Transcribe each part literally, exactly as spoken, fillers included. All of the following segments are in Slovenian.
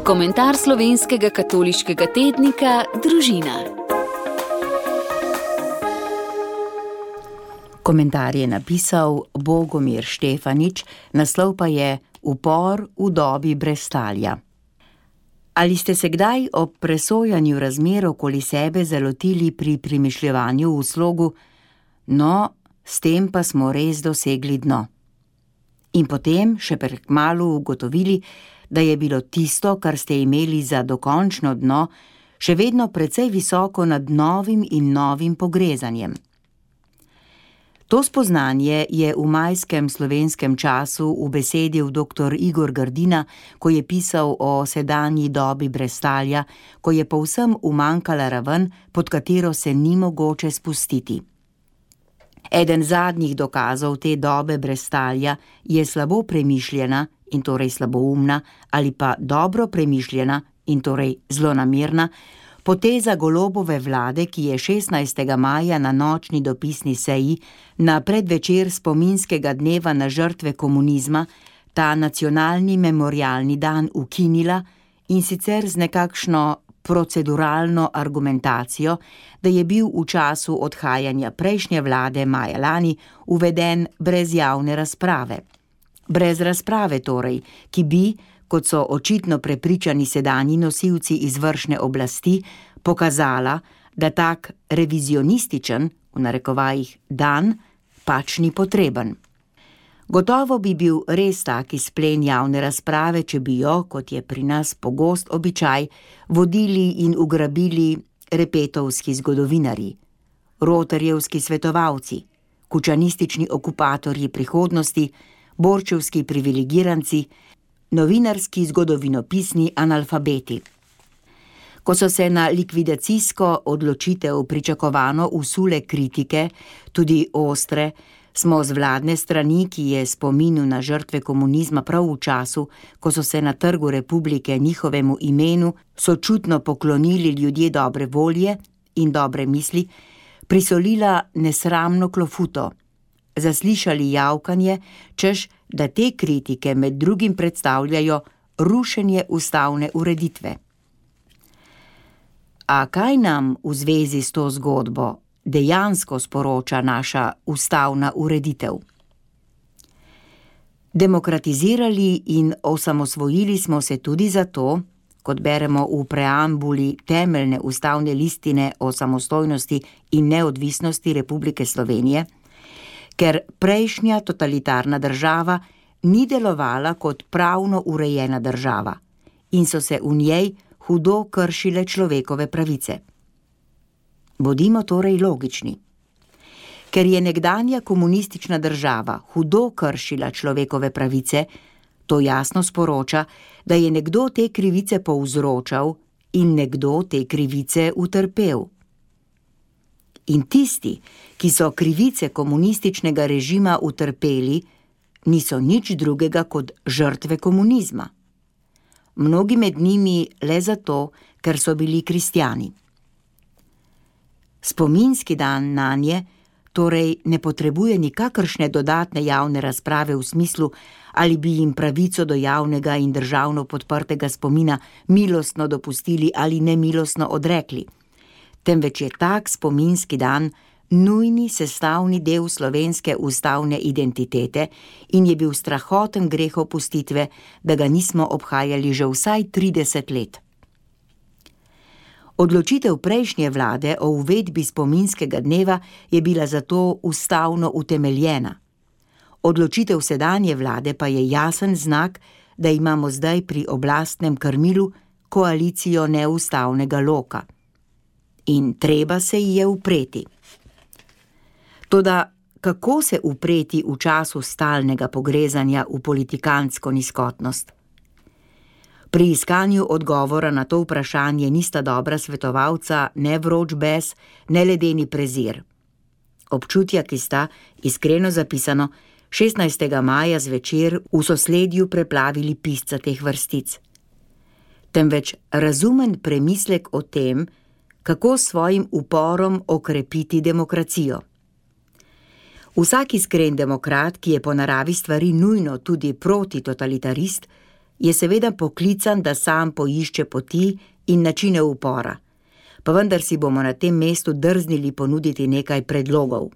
Komentar slovenskega katoliškega tednika Družina. Komentar je napisal Bogomir Štefanič, naslov pa je Upor v dobi brezstalja. Ali ste se kdaj ob presojanju razmer okoli sebe zalotili pri premišljevanju v slogu: no, s tem pa smo res dosegli dno? In potem še prekmalu ugotovili, da je bilo tisto, kar ste imeli za dokončno dno, še vedno precej visoko nad novim in novim pogrezanjem. To spoznanje je v majskem slovenskem času ubesedil doktor Igor Grdina, ko je pisal o sedanji dobi brezstalja, ko je povsem umanjkala raven, pod katero se ni mogoče spustiti. Eden zadnjih dokazov te dobe brezstalja je slabo premišljena in torej slaboumna ali pa dobro premišljena in torej zlonamerna poteza Golobove vlade, ki je šestnajstega maja na nočni dopisni seji na predvečer spominskega dneva na žrtve komunizma ta nacionalni memorialni dan ukinila, in sicer z nekakšno proceduralno argumentacijo, da je bil v času odhajanja prejšnje vlade maja lani uveden brez javne razprave. Brez razprave torej, ki bi, kot so očitno prepričani sedanji nosilci izvršne oblasti, pokazala, da tak revizionističen, v narekovajih, dan pač ni potreben. Gotovo bi bil res tak izplen javne razprave, če bi jo, kot je pri nas pogost običaj, vodili in ugrabili repetovski zgodovinarji, rotarjevski svetovalci, kučanistični okupatorji prihodnosti, borčevski privilegiranci, novinarski zgodovinopisni analfabeti. Ko so se na likvidacijsko odločitev pričakovano usule kritike, tudi ostre, smo z vladne strani, ki je spominu na žrtve komunizma prav v času, ko so se na Trgu Republike njihovemu imenu sočutno poklonili ljudje dobre volje in dobre misli, prisolila nesramno klofuto, zaslišali javkanje, češ, da te kritike med drugim predstavljajo rušenje ustavne ureditve. A kaj nam v zvezi s to zgodbo dejansko sporoča naša ustavna ureditev? Demokratizirali in osamosvojili smo se tudi zato, kot beremo v preambuli temeljne ustavne listine o samostojnosti in neodvisnosti Republike Slovenije, ker prejšnja totalitarna država ni delovala kot pravno urejena država in so se v njej hudo kršile človekove pravice. Bodimo torej logični. Ker je nekdanja komunistična država hudo kršila človekove pravice, to jasno sporoča, da je nekdo te krivice povzročal in nekdo te krivice utrpel. In tisti, ki so krivice komunističnega režima utrpeli, niso nič drugega kot žrtve komunizma. Mnogi med njimi le zato, ker so bili kristjani. Spominski dan nanje torej ne potrebuje nikakršne dodatne javne razprave v smislu, ali bi jim pravico do javnega in državno podprtega spomina milostno dopustili ali nemilostno odrekli, temveč je tak spominski dan nujni sestavni del slovenske ustavne identitete in je bil strahoten greh opustitve, da ga nismo obhajali že vsaj trideset let. Odločitev prejšnje vlade o uvedbi spominskega dneva je bila zato ustavno utemeljena. Odločitev sedanje vlade pa je jasen znak, da imamo zdaj pri oblastnem krmilu koalicijo neustavnega loka. In treba se ji je upreti. Toda kako se upreti v času stalnega pogrezanja v politikantsko nizkotnost? Pri iskanju odgovora na to vprašanje nista dobra svetovalca ne vroč bes, ne ledeni prezir. Občutja, ki sta, iskreno zapisano, šestnajstega maja zvečer v sosledju preplavili pisca teh vrstic. Temveč razumen premislek o tem, kako s svojim uporom okrepiti demokracijo. Vsak iskren demokrat, ki je po naravi stvari nujno tudi protitotalitarist, je seveda poklican, da sam poišče poti in načine upora, pa vendar si bomo na tem mestu drznili ponuditi nekaj predlogov.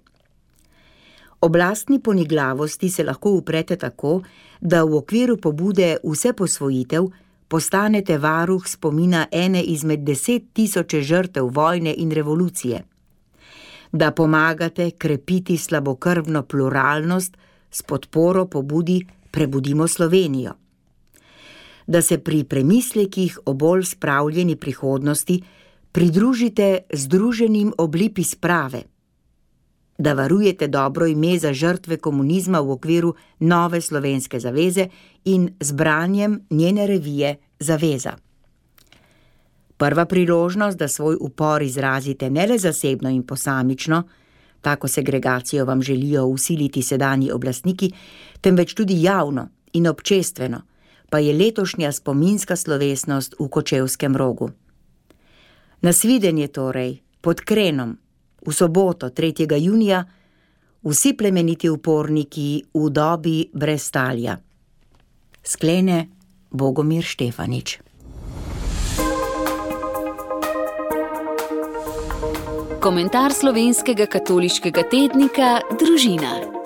Oblastni poniglavosti se lahko uprete tako, da v okviru pobude Vse posvojitev postanete varuh spomina ene izmed deset tisoče žrtev vojne in revolucije, da pomagate krepiti slabokrvno pluralnost s podporo pobudi Prebudimo Slovenijo, da se pri premislekih o bolj spravljeni prihodnosti pridružite združenim Oblipi sprave, da varujete dobro ime za žrtve komunizma v okviru Nove slovenske zaveze in z branjem njene revije Zaveza. Prva priložnost, da svoj upor izrazite ne le zasebno in posamično, tako segregacijo vam želijo vsiliti sedanji oblastniki, temveč tudi javno in občestveno, pa je letošnja spominska slovesnost v Kočevskem Rogu. Nasvidenje torej, pod Krenom, v soboto, tretjega junija, vsi plemeniti uporniki v dobi brez talja. Sklene Bogomir Štefanič. Komentar slovenskega katoliškega tednika Družina.